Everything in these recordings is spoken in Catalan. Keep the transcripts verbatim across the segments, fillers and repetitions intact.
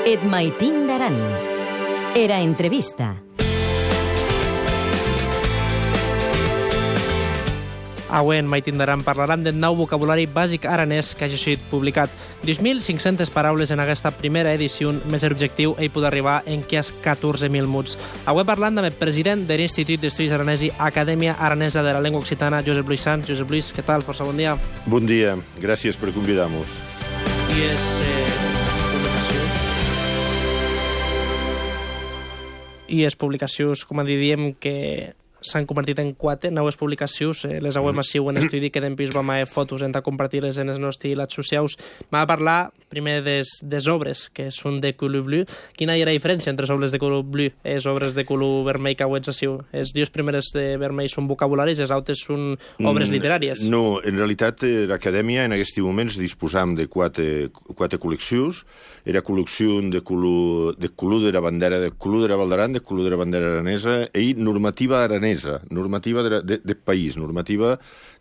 Et maitin d'Aran. Era entrevista. Avui en Maitin d'Aran parlaran del nou vocabulari bàsic aranès que hagi sigut publicat. dos mil cinc-centes paraules en aquesta primera edició, més l'objectiu ell pot arribar en quasi catorze mil muts. Avui parlant amb el president de l'Institut d'Estudis Aranesi, Acadèmia Aranesa de la Llengua Occitana, Josep Luis Sans. Josep Luis, què tal? Força bon dia. Bon dia, gràcies per convidar-nos. I és... Eh, publicacions... I és publicacions, com diríem, que... s'han convertit en quatre noves publicacions. Eh, les auem així en estudi que d'en pis vam a fotos entre compartir-les en els nostres xats socials. M'ha de parlar primer des, des obres, que són de color blu. Quina hi ha la diferència entre les obres de color blu i les obres de color vermell que auets així? Les dues primeres de vermell són vocabularis, les altres són obres literàries. No, en realitat l'Acadèmia en aquests moments disposam de quatre, quatre col·leccions. Era col·lecció de color de, color de la bandera, de color de la Val d'Aran, de color de la bandera aranesa i normativa aranesa, normativa de, de, de país, normativa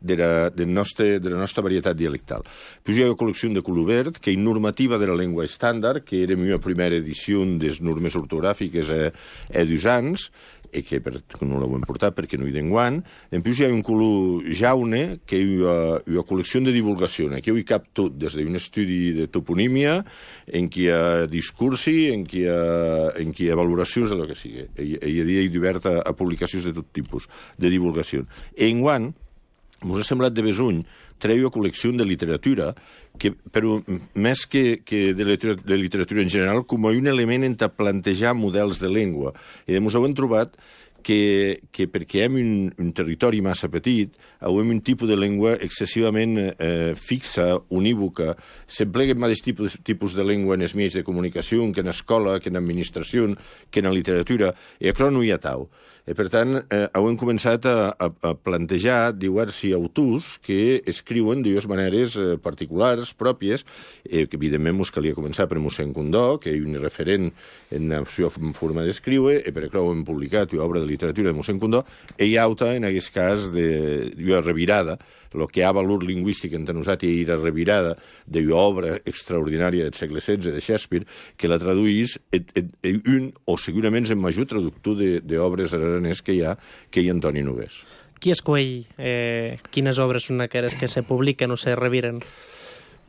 de la, de, nostre, de la nostra varietat dialectal. Puis hi ha una col·lecció de color verd, que és normativa de la llengua estàndard, que era la meva primera edició de les normes ortogràfiques a, a dos anys, i que, per, que no l'hem portat perquè no hi d'enguant. En plus hi ha un color jaune, que és una, una col·lecció de divulgació. Aquí hi cap tot, des d'un estudi de toponímia, en què hi ha discursi, en què hi ha, en què hi ha valoracions, de lo que sigui. I, i a dia hi divert a, a publicacions de tot tipus, de divulgació. I enguant, m'ho ha semblat de besuny, treu una col·lecció de literatura, que, però més que, que de, literatura, de literatura en general, com un element entre plantejar models de llengua. I ens hem trobat que, que perquè hem un, un territori massa petit, hem un tipus de llengua excessivament eh, fixa, unívoca, s'emplega el mateix tipus, tipus de llengua en els mitjans de comunicació, que en escola, que en administració, que en literatura, i això no hi ha tau. I, per tant, eh, hem començat a, a, a plantejar diversos autors que escriuen de dues maneres eh, particulars, pròpies, eh, que evidentment mos calia començar per mossèn Condó, que és un referent en la seva forma d'escriure, i per això hem publicat una obra de literatura de mossèn Condó, i hi ha altra, en aquest cas, de, de revirada, el que ha valor lingüístic entre nosaltres i la revirada d'una obra extraordinària del segle setze de Shakespeare, que la traduís un, o segurament el major traductor d'obres aranès que hi ha, que hi ha Antoni Nogués. Qui escull eh, quines obres són aquelles que se publiquen o se reviren?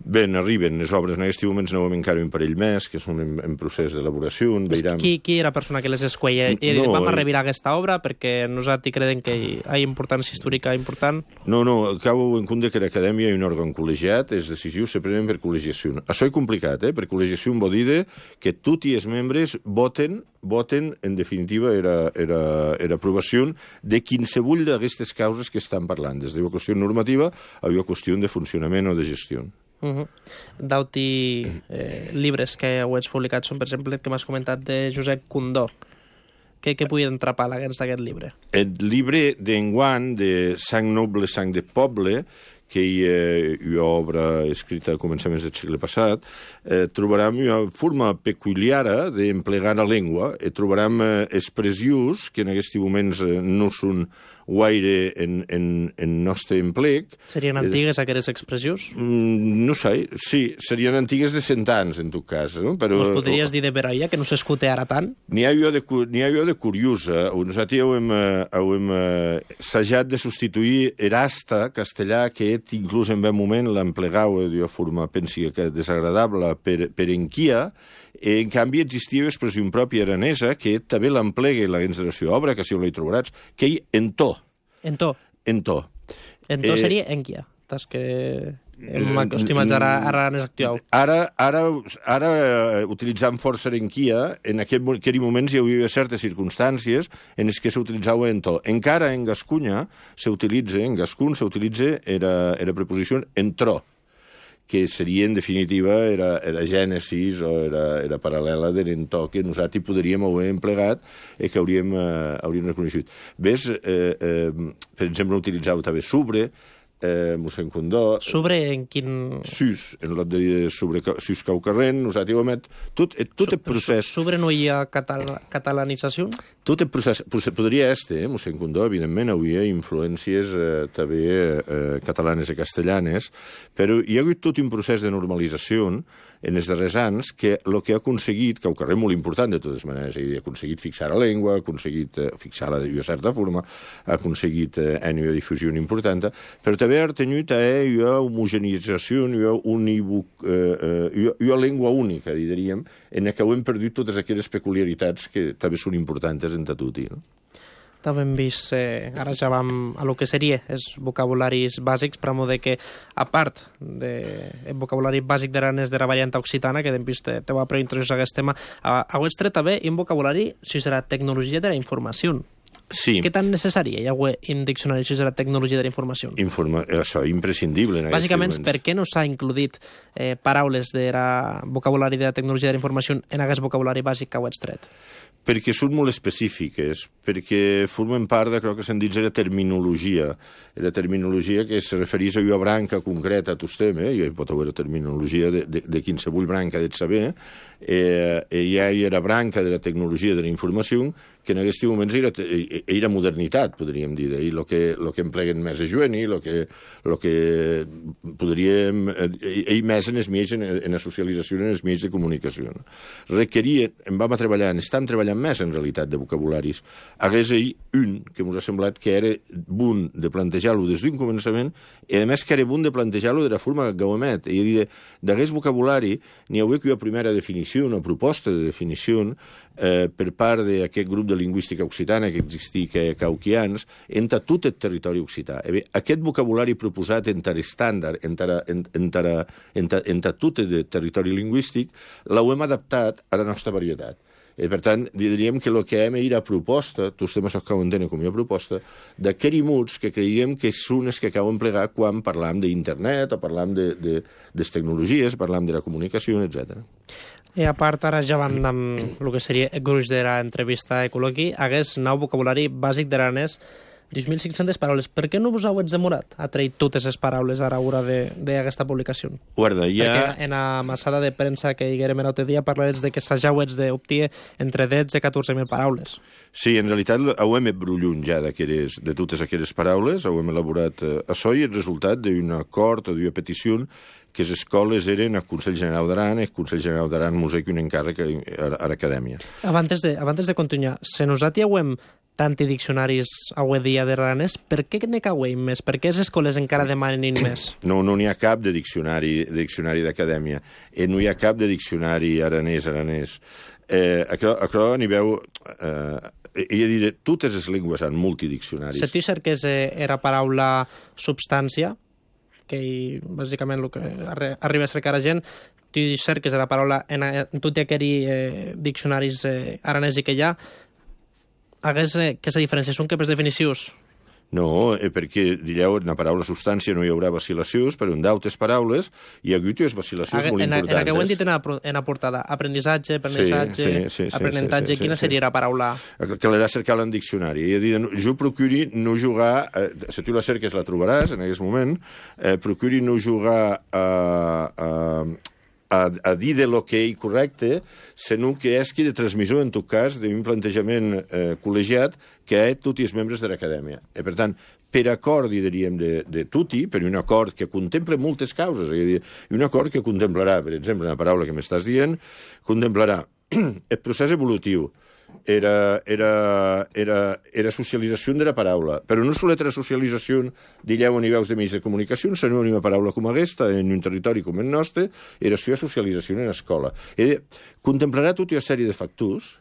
Bé, arriben les obres, en aquests moments no hem encara un parell més, que són en, en procés d'elaboració. Veiram... Qui, qui era la persona que les escuella? I no, vam a revirar aquesta obra perquè nosaltres creiem que hi ha importància històrica important? No, no, acabo en compte que l'acadèmia és un òrgan col·legiat, les decisions se prenen per col·legiació. Això és complicat, eh? Per col·legiació vol dir que tots els membres voten voten, en definitiva, era, era, era aprovació de quinsevull d'aquestes causes que estan parlant, des d'una qüestió normativa a una qüestió de funcionament o de gestió. Uh -huh. D'auti eh, llibres que heu publicat són, per exemple, que m'has comentat de Josep Condó. Què, què pugui entrapar d'aquest llibre? El llibre d'enguant, de Sang noble, sang de poble, que hi ha una obra escrita a començaments del segle passat, eh, trobarem una forma peculiara d'emplegar la llengua, i trobarem eh, expressions que en aquests moments eh, no són guaire en, en, en nostre emplec. Serien antigues aquelles expressions? Mm, no sé, sí, serien antigues de cent anys, en tot cas. No? Però, Us podries dir de Veraia, que no s'escute ara tant? N'hi ha jo de, de curiosa. Nosaltres hem, hem assajat de substituir Erasta, castellà, que inclús en un moment l'emplegau d'una forma, pensi que desagradable, per, per enquia. En canvi, existia una expressió pròpia aranesa que també l'emplega la gens de la seva obra, que si ho l'hi trobaràs, que hi en to. En to? En to. En to eh, seria enquia. Tas que hem acostumat ara a aranès actual. Ara, ara, ara utilitzant força enquia, en aquest, aquell moments hi havia certes circumstàncies en les que s'utilitzava en to. Encara en Gascunya s'utilitza, en Gascun s'utilitza era, era preposició en tro, que seria, en definitiva, era, era gènesis o era, era paral·lela de l'entó que nosaltres podríem haver emplegat i que hauríem, eh, hauríem reconeixut. Ves, eh, eh, per exemple, utilitzava també sobre, eh, mossèn Condó... Sobre en quin... Sus, en lot de dir sobre sus caucarrent, nosaltres ho emet... Tot, tot el procés... Sobre no hi ha catal catalanització? Tot el procés... Podria este, eh, mossèn Condó, evidentment, havia influències eh, també eh, catalanes i castellanes, però hi ha hagut tot un procés de normalització en els darrers anys que el que ha aconseguit, caucarrent molt important de totes maneres, ha aconseguit fixar la llengua, ha aconseguit eh, fixar-la de certa forma, ha aconseguit eh, una difusió important, però també ha tingut eh, una homogenització, una, univoc, eh, una, una llengua única, diríem, en què hem perdut totes aquelles peculiaritats que també són importants en Tatuti. No? També hem vist, eh, ara ja vam a lo que seria els vocabularis bàsics, per a de que, a part del vocabulari bàsic d'aranès de la variant occitana, que hem vist, te, te va preintroduir aquest tema, heu tret també un vocabulari, si serà tecnologia de la informació. Sí. Què tan necessari hi ha un diccionari si és la tecnologia de la informació? Informa això, imprescindible. Bàsicament, per què no s'ha includit eh, paraules del vocabulari de la tecnologia de la informació en aquest vocabulari bàsic que heu extret? Perquè són molt específiques, perquè formen part de, crec que se'n diu, la terminologia. La terminologia que se refereix a una branca concreta a tot tema, eh? Hi pot haver terminologia de, de, de qualsevol branca de saber, eh, hi ha la branca de la tecnologia de la informació, que en aquest moment era, era modernitat, podríem dir, i el que, lo que empleguen més a juvenil, el que, lo que podríem... Ell més en els mitjans, en, en la socialització, en els mitjans de comunicació. Requeria, en vam a treballar, en estem treballant més, en realitat, de vocabularis. Hagués ell un que ens ha semblat que era bon de plantejar-lo des d'un començament i, a més, que era bon de plantejar-lo de la forma que ho emet. I a dir, d'aquest vocabulari n'hi hauria que una primera definició, una proposta de definició eh, per part d'aquest grup de lingüística occitana que existia a Cauquians entre tot el territori occità. Bé, aquest vocabulari proposat entre estàndard, entre, entre, entre, entre tot el territori lingüístic, l'hem adaptat a la nostra varietat. I, per tant, diríem que el que hem era proposta, tots temes que ho entenen com a proposta, d'aquests mots que creiem que són els que acaben plegar quan parlam d'internet o parlam de, de, de les tecnologies, parlam de la comunicació, etcètera. I a part, ara ja vam amb el que seria el gruix de l'entrevista a Ecologi, hagués nou vocabulari bàsic d'aranès, dos mil cinc-centes paraules. Per què no vos heu demorat a trair totes les paraules ara a l'hora d'aquesta publicació? Guarda, ja... Perquè en la massada de premsa que hi haguérem l'altre dia parlaves de que s'hauets d'obtir entre dotze i catorze mil paraules. Sí, en realitat ho hem brullut ja de totes aquelles paraules, ho hem elaborat a això i el resultat d'un acord o d'una petició que les escoles eren el Consell General d'Aran, el Consell General d'Aran Museu i un encàrrec a l'acadèmia. Abans de, abans de continuar, se nosaltres heu tanti diccionaris avui dia de l'aranès, per què ne cauem més? Per què les escoles encara demanen més? No, no n'hi ha cap de diccionari de diccionari d'acadèmia. Eh, no hi ha cap de diccionari aranès, aranès. Eh, això, això n'hi veu... Eh, i a dir, totes les llengües han multidiccionaris. Si tu cerques eh, era paraula substància, que bàsicament el que arriba a cercar a gent, tu cerques la paraula en, en tots aquells eh, diccionaris eh, aranesi que hi ha, hagués eh, que la diferència són que per definicions. No, eh, perquè, dieu, en la paraula substància no hi haurà vacil·lacions, però en d'altres paraules hi ha hagut unes vacil·lacions molt en, importants. En la que ho hem dit en la, en la portada, aprenissatge, aprenentatge, sí, sí, sí, aprenentatge, sí, sí, sí, quina sí, seria la paraula? Que l'ha cercat en diccionari. És a dir, jo procuri no jugar, eh, si tu la cerques la trobaràs en aquest moment, eh, procuri no jugar a... a A, a dir de lo que és correcte, sinó que és qui de transmissor, en tot cas, d'un plantejament eh, col·legiat que és tots els membres de l'acadèmia. I, per tant, per acord, diríem, de, de tutti, per un acord que contempla moltes causes, és a dir, un acord que contemplarà, per exemple, la paraula que m'estàs dient, contemplarà el procés evolutiu, era, era, era, era socialització de la paraula, però no solet la socialització, digueu, a nivells de mitjans de comunicació, sinó una paraula com aquesta, en un territori com el nostre, era la socialització en l'escola. Contemplarà tota una sèrie de factors,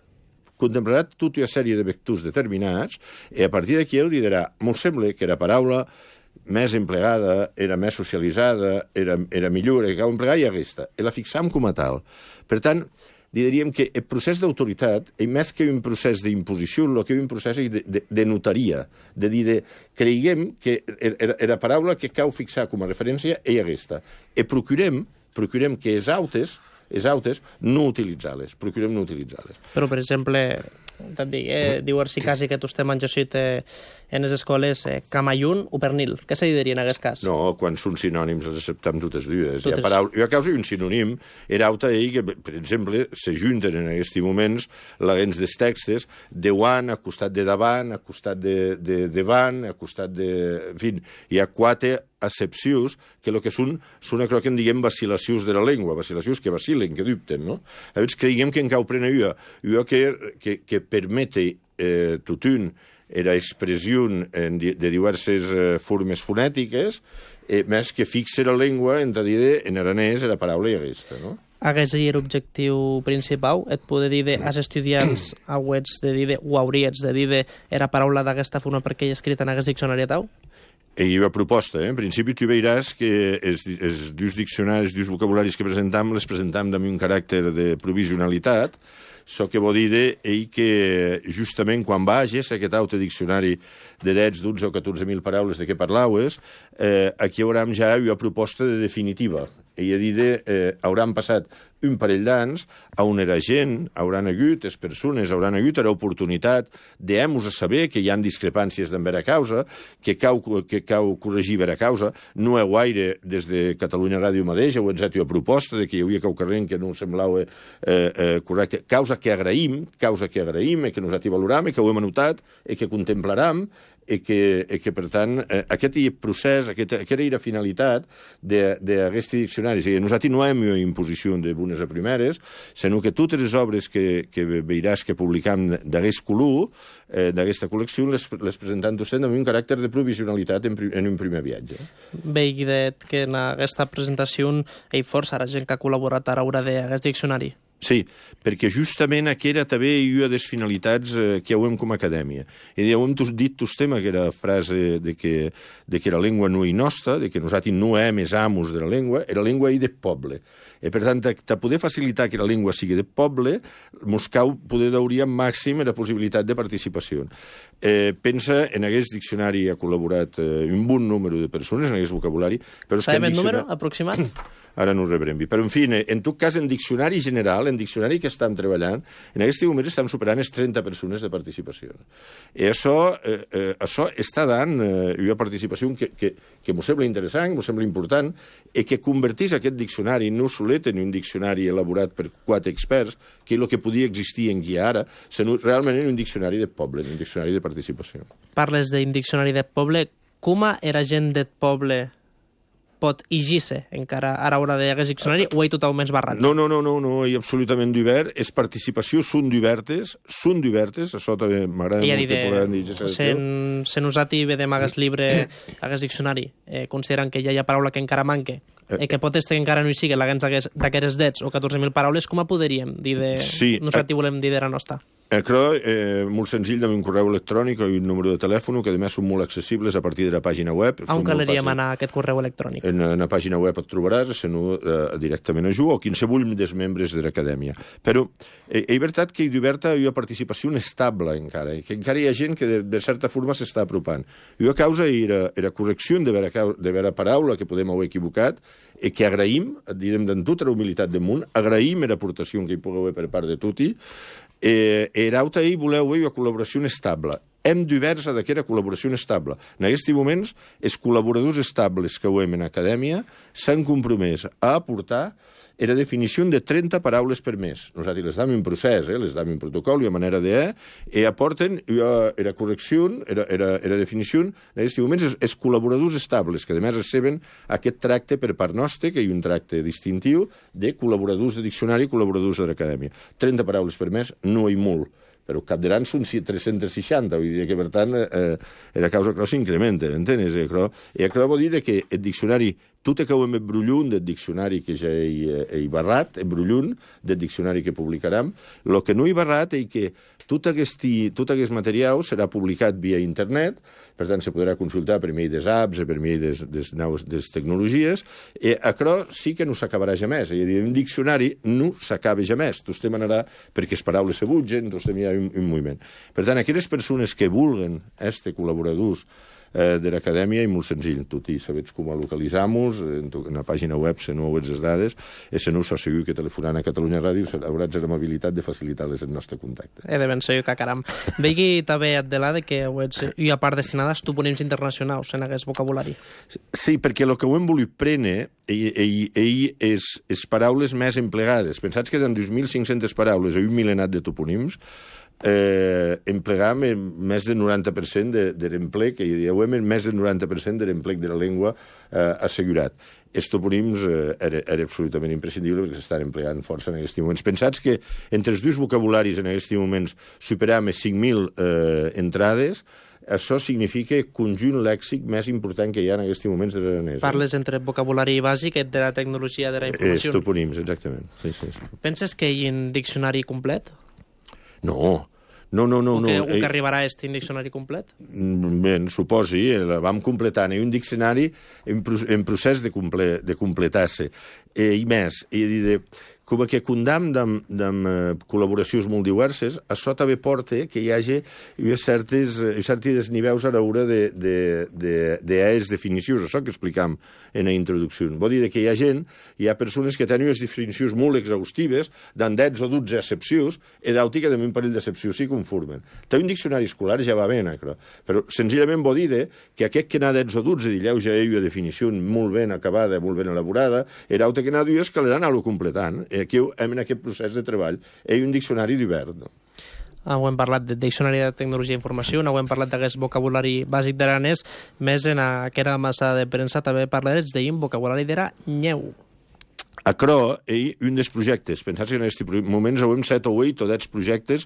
contemplarà tota una sèrie de vectors determinats, i a partir d'aquí ell dirà, m'ho sembla que la paraula més emplegada, era més socialitzada, era, era millor, que cal emplegar i aquesta. I la fixam com a tal. Per tant, diríem que el procés d'autoritat, i més que un procés d'imposició, el que és un procés de, de, de notaria, de dir, de, creiem que la paraula que cal fixar com a referència és aquesta. I procurem, procurem que els autes, els autes no utilitzar-les, procurem no utilitzar-les. Però, per exemple, te'n dic, eh, diu si quasi que tu estem manjacit eh, en les escoles eh, camayun o pernil. Què se diria en aquest cas? No, quan són sinònims els acceptem totes dues. Totes. Hi ha paraula... Jo a causa d'un sinònim, era auta ell que, per exemple, se junten en aquests moments les dels textos de wan, a costat de davant, a costat de, de davant, a costat de... En fi, hi ha quatre accepcions que el que són, són allò que en diguem vacil·lacions de la llengua, vacil·lacions que vacilen, que dubten, no? Llavors, creiem que en cau prena ua, ua que, que, que permete eh, tutun era expressió de diverses eh, formes fonètiques, eh, més que fixe la llengua en dir en aranès la paraula i aquesta, no? Aquest és l'objectiu principal? Et poder dir de, als estudiants auets de dir de, o hauries de dir de era paraula d'aquesta forma perquè hi ha escrit en aquest diccionari tau? Hi ha proposta, eh? En principi tu veuràs que els, els dos diccionaris, els dos vocabularis que presentam, les presentam amb un caràcter de provisionalitat, so que vol dir ell que justament quan vages a aquest altre diccionari de dotze, dotze o catorze mil paraules de què parlaves, eh, aquí haurem ja una proposta de definitiva. I a dir, eh, hauran passat un parell d'anys on era gent, hauran hagut, les persones hauran hagut l'oportunitat d'hem-nos a saber que hi ha discrepàncies d'en vera causa, que cau, que cau corregir vera causa, no heu gaire des de Catalunya Ràdio mateix, heu enzat una proposta de que hi havia cau carrer que no semblava eh, eh, correcte, causa que agraïm, causa que agraïm, i que nosaltres valoram, i que ho hem anotat, i que contemplarem, i que, i que per tant, eh, aquest procés, aquest, aquesta era la finalitat d'aquest diccionari. O sigui, nosaltres no hem una imposició de bones a primeres, sinó que totes les obres que, que veuràs que publicam d'aquest color, eh, d'aquesta col·lecció, les, les presentam vostè amb un caràcter de provisionalitat en, en un primer viatge. Veig que en aquesta presentació hi força la gent que ha col·laborat a l'hora d'aquest diccionari. Sí, perquè justament aquesta també hi ha les finalitats eh, que hem com a acadèmia. I ja ho hem dit tostem aquella frase de que, de que la llengua no hi nostra, de que nosaltres no hem els amos de la llengua, era la llengua hi de poble. I per tant, de poder facilitar que la llengua sigui de poble, mos cau poder daurir màxim la possibilitat de participació. Eh, pensa, en aquest diccionari ha col·laborat eh, un bon número de persones, en aquest vocabulari, però és que... Sabem el diccionari... número aproximat? Ara no ho rebrem. Però, en fi, en tot cas, en diccionari general, en diccionari que estem treballant, en aquest moment estem superant les trenta persones de participació. I això, eh, eh, això està dant eh, una participació que, que, que m'ho sembla interessant, m'ho sembla important, i que convertís aquest diccionari no solet en un diccionari elaborat per quatre experts, que és el que podia existir en guia ara, sinó realment en un diccionari de poble, en un diccionari de participació. Parles d'un diccionari de poble. Com era gent del poble pot llegir-se encara a l'hora d'aquest diccionari o hi totalment barrat? No, no, no, no, no, hi absolutament d'obert. Les participacions són d'obertes, són d'obertes, això també m'agrada molt que podem dir. Sen, sen usat i vedem aquest llibre, aquest diccionari, eh, considerant que ja hi ha paraula que encara manque, eh, que pot estar que encara no hi sigui, d'aquests dets o catorze mil paraules, com a podríem dir de... Sí, nosaltres volem dir de la nostra? Això és eh, molt senzill, amb un correu electrònic i un número de telèfon, que a més són molt accessibles a partir de la pàgina web. On calaríem anar a aquest correu electrònic? En, en la pàgina web et trobaràs, sinó eh, directament a Ju o qualsevol dels membres de l'acadèmia. Però eh, és veritat que hi d'oberta hi ha participació estable encara, i que encara hi ha gent que de, de certa forma s'està apropant. I a causa era, era correcció de vera, de vera paraula que podem haver equivocat, i que agraïm, direm d'en tota la humilitat del món, agraïm l'aportació que hi pugueu haver per part de tutti. Eh, era auta i voleu una col·laboració estable. Hem d'obert a d'aquesta col·laboració estable. En aquests moments, els col·laboradors estables que ho hem en acadèmia s'han compromès a aportar la definició de trenta paraules per mes. Nosaltres les dam un procés, eh? les dam un protocol i una manera de... i aporten la correcció, la definició, en aquests moments, els, els col·laboradors estables, que a més receben aquest tracte per part nostra, que hi ha un tracte distintiu de col·laboradors de diccionari i col·laboradors de l'acadèmia. trenta paraules per mes no hi molt, però cap d'any són tres-cents seixanta, vull dir que, per tant, eh, la causa que s'incrementa, entens? I això vol dir que el diccionari, tot el que ho hem brullut del diccionari que ja he, he barrat, he brullut del diccionari que publicarem, el que no he barrat és que tot aquest, tot aquest material serà publicat via internet, per tant, se podrà consultar per mi des apps, per mi des, des noves des tecnologies, i això sí que no s'acabarà jamés. És a dir, un diccionari no s'acaba jamés. Tu estem anarà perquè les paraules se butgen, tu estem hi ha un, un moviment. Per tant, aquelles persones que vulguen, este col·laboradors, eh, de l'acadèmia i molt senzill. Tot i sabets com a localitzar-nos, en, en la pàgina web se no veus les dades, i se no us asseguro que telefonant a Catalunya Ràdio hauràs l'amabilitat de facilitar-les el nostre contacte. He de ben segur que caram. Vegi també Adelade que hi ha part destinada a topònims internacionals en aquest vocabulari. Sí, perquè el que ho hem volut prendre ell, ell, ell és, és paraules més emplegades. Pensats que en dos mil cinc-centes paraules i un milenat de topònims eh, emplegam més del noranta per cent de, de l'emplec, i diuen més del noranta per cent de l'emplec de la llengua eh, assegurat. Els topònims eh, era, era absolutament imprescindible perquè s'estan empleant força en aquests moments. Pensats que entre els dos vocabularis en aquests moments superam les cinc mil eh, entrades, això significa el conjunt lèxic més important que hi ha en aquests moments de l'aranès. Parles entre vocabulari bàsic i de la tecnologia de la informació. Els topònims, exactament. Sí, sí, sí. Penses que hi ha un diccionari complet? No, no, no. no o que, no. o que arribarà a aquest diccionari complet? Bé, suposi, la vam completant. Hi ha un diccionari en, en procés de, comple, de completar-se. Eh, I més, i de... com que condam d'am, d'am eh, col·laboracions molt diverses, això també porta que hi hagi hi ha certes, certes nivells a l'hora de, de, de, de les definicions, això que explicam en la introducció. Vol dir que hi ha gent, hi ha persones que tenen unes definicions molt exhaustives, d'en dotze o dotze excepcions, i d'altres que també un parell d'excepcions s'hi conformen. Té un diccionari escolar ja va bé, però, però senzillament vol dir que aquest que n'ha dotze o dotze, dilleu ja hi ha una definició molt ben acabada, molt ben elaborada, i l'altre que n'ha dues que l'han anat completant. Aquí, en aquest procés de treball, hi ha un diccionari d'hivern. No? Ah, ho hem parlat de diccionari de tecnologia i informació, no ho hem parlat d'aquest vocabulari bàsic d'aranès, més en aquesta massa de premsa també parlarets d'un vocabulari d'era nyeu. A Cro, ell, un dels projectes, pensats que en aquests moments hem set o vuit o deu projectes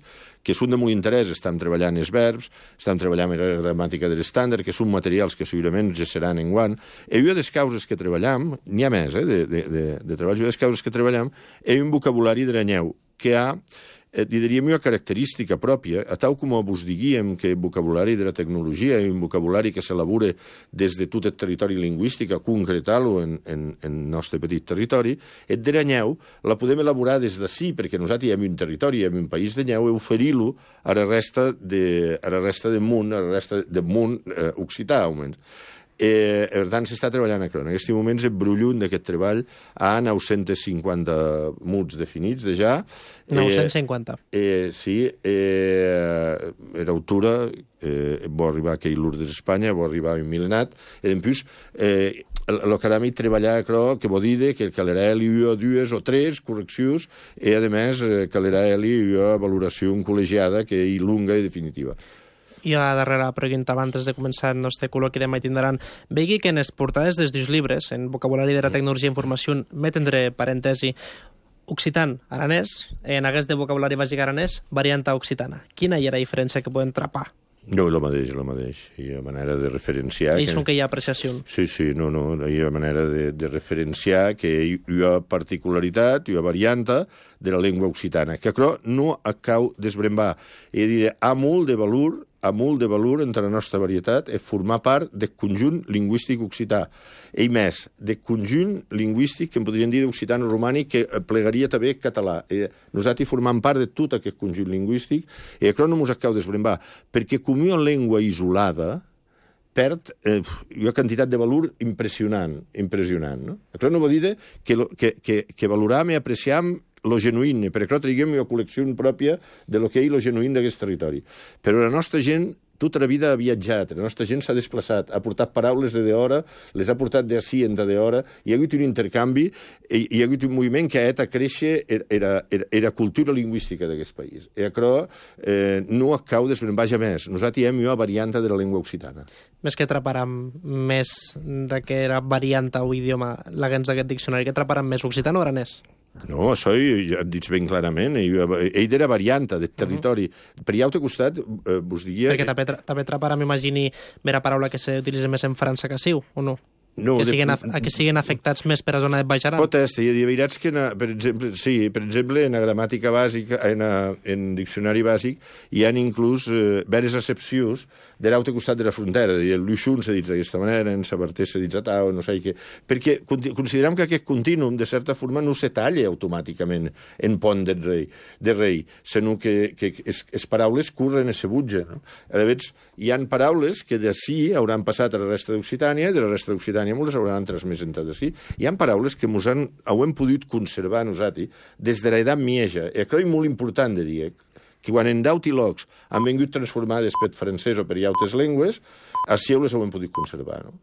que són de molt interès. Estem treballant els verbs, estem treballant la gramàtica de l'estàndard, que són materials que segurament ja seran en guant. I una de les causes que treballam, n'hi ha més, eh, de, de, de, de treball, una de les causes que treballam, és un vocabulari d'aranyeu, que ha, eh, diríem, una característica pròpia, a tal com vos diguíem que el vocabulari de la tecnologia és un vocabulari que s'elabora des de tot el territori lingüístic a concretar-lo en, en, en el nostre petit territori, el d'aranyeu la podem elaborar des d'ací, perquè nosaltres hi ha un territori, hi ha un país d'anyeu, i oferir-lo a la resta de, a la resta del món, a la resta del món eh, occità, almenys. Eh, per tant, s'està treballant a Cro. En aquests moments el brullunt d'aquest treball ha nou-cents cinquanta mots definits de ja. nou-cents cinquanta. Eh, eh, sí, eh, l'autora eh, va arribar a Lourdes d'Espanya, va arribar a un milenat, i en plus, eh, el que anem a treballar a Cro, que vol dir que calerà hi ha dues o tres correccions, i a més calerà hi ha valoració col·legiada que és longa i definitiva. I a darrere pregunta abans de començar el nostre col·loqui de Maitindran. Vegi que en les portades dels dos llibres, en vocabulari de la tecnologia i informació, met entre parèntesi occitan aranès, en aquest de vocabulari bàsic aranès, varianta occitana. Quina hi ha la diferència que poden trapar? No, el mateix, el mateix. Hi ha manera de referenciar... Ells que... són que hi ha apreciació. Sí, sí, no, no. Hi ha manera de, de referenciar que hi ha particularitat, hi ha varianta de la llengua occitana, que però no acau d'esbrembar. És a dir, ha molt de valor ha molt de valor entre la nostra varietat és formar part del conjunt lingüístic occità. I més, del conjunt lingüístic que en podríem dir d'occitano-romànic que plegaria també català. I nosaltres formam part de tot aquest conjunt lingüístic i això no ens acaba d'esbrembar, perquè com una llengua isolada perd eh, una quantitat de valor impressionant. impressionant no? Això no vol dir que, que, que, que valoram i apreciam lo genuïn, perquè traguem una col·lecció pròpia de lo que és lo genuïn d'aquest territori. Però la nostra gent tota la vida ha viatjat, la nostra gent s'ha desplaçat, ha portat paraules de d'hora, les ha portat d'ací en de d'hora, hi ha hagut un intercanvi, i hi ha hagut un moviment que ha fet a créixer era, era, era cultura lingüística d'aquest país. I això eh, no acau d'esbrembar més. Nosaltres hi hem una varianta de la llengua occitana. Més que atraparam més de que era varianta o idioma la gens d'aquest diccionari, que atraparam més occitano o aranès? No, això ja et dic ben clarament. Ell, ell era varianta del territori. Uh -huh. Per allà al costat eh, vos diria... Perquè també, també atraparà, m'imagini, vera paraula que s'utilitza més en França que siu, o no? No, que de- siguen, af- que siguen afectats més per a zona de Baix Aran? Pot estar, hi ha veritats que, na, per exemple, sí, per exemple, en la gramàtica bàsica, en, a, en diccionari bàsic, hi ha inclús eh, veres accepcions de l'altre costat de la frontera. El Luixun s'ha dit d'aquesta manera, en Sabarter s'ha dit atau, no sé què. Perquè considerem que aquest contínuum, de certa forma, no se talla automàticament en pont de rei, de rei sinó que, que es, es paraules curren a se butja. No? A veure, hi han paraules que d'ací hauran passat a la resta d'Occitània i de la resta d'Occitània molts hauran transmès entre d'ací. Hi ha paraules que mos han, ho hem pogut conservar nosaltres des de l'edat mieja. I això és molt important de dir, que quan en daut i locs han vingut transformades per francès o per altres llengües, així les ho hem pogut conservar, no?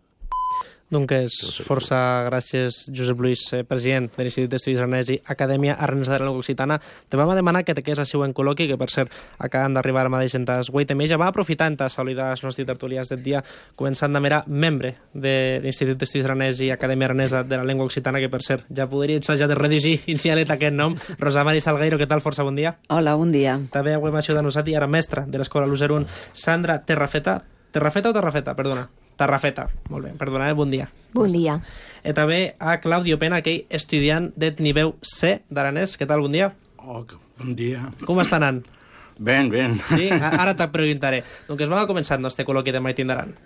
Doncs força gràcies, Josep Lluís, eh, president de l'Institut d'Estudis Aranès i Acadèmia Aranesa de la Llengua Occitana. Te vam a demanar que te quedés així en col·loqui, que per cert acaben d'arribar ara mateix en tas vuit més. Ja va aprofitant a saludar els nostres tertulians del dia, començant de mera membre de l'Institut d'Estudis Aranès i Acadèmia Aranesa de la Llengua Occitana, que per cert ja podria ensajar de redigir inicialet aquest nom. Rosa Mari Salgueiro, què tal? Força bon dia. Hola, bon dia. També avui m'ha ajudat nosaltres, ara mestra de l'Escola l'U zero un, Sandra Terrafeta. Terrafeta o Terrafeta? Perdona. Terrafeta. Molt bé, perdona, eh? Bon dia. Bon dia. I també a Claudio Pena, aquell estudiant de nivell C d'aranès. Què tal? Bon dia. Oh, bon dia. Com està anant? Ben, ben. Sí? Ara te preguntaré. Doncs vam a començar el nostre col·loqui de Maitín d'Aran.